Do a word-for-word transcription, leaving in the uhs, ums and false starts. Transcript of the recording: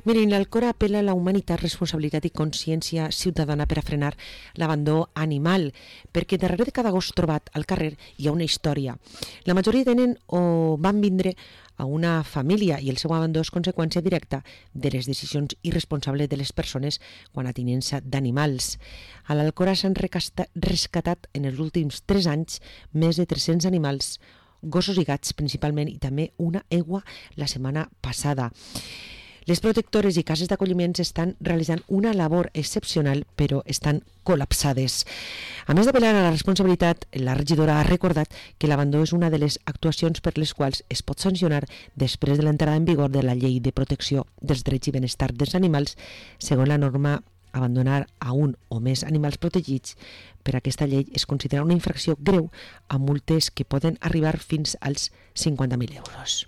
Miren, l'Alcora apel·la a la humanitat, responsabilitat i consciència ciutadana per a frenar l'abandó animal, perquè darrere de cada gos trobat al carrer hi ha una història. La majoria tenen o van vindre a una família i el seu abandó és conseqüència directa de les decisions irresponsables de les persones quan a tinença d'animals. A l'Alcora s'han rescatat en els últims tres anys més de tres-cents animals, gossos i gats principalment, i també una egua la setmana passada. Les protectores i cases d'acolliment estan realitzant una labor excepcional, però estan col·lapsades. A més d'apel·lar a la responsabilitat, la regidora ha recordat que l'abandó és una de les actuacions per les quals es pot sancionar després de l'entrada en vigor de la Llei de Protecció dels Drets i Benestar dels Animals. Segons la norma, abandonar a un o més animals protegits per aquesta llei es considera una infracció greu amb multes que poden arribar fins als cinquanta mil euros.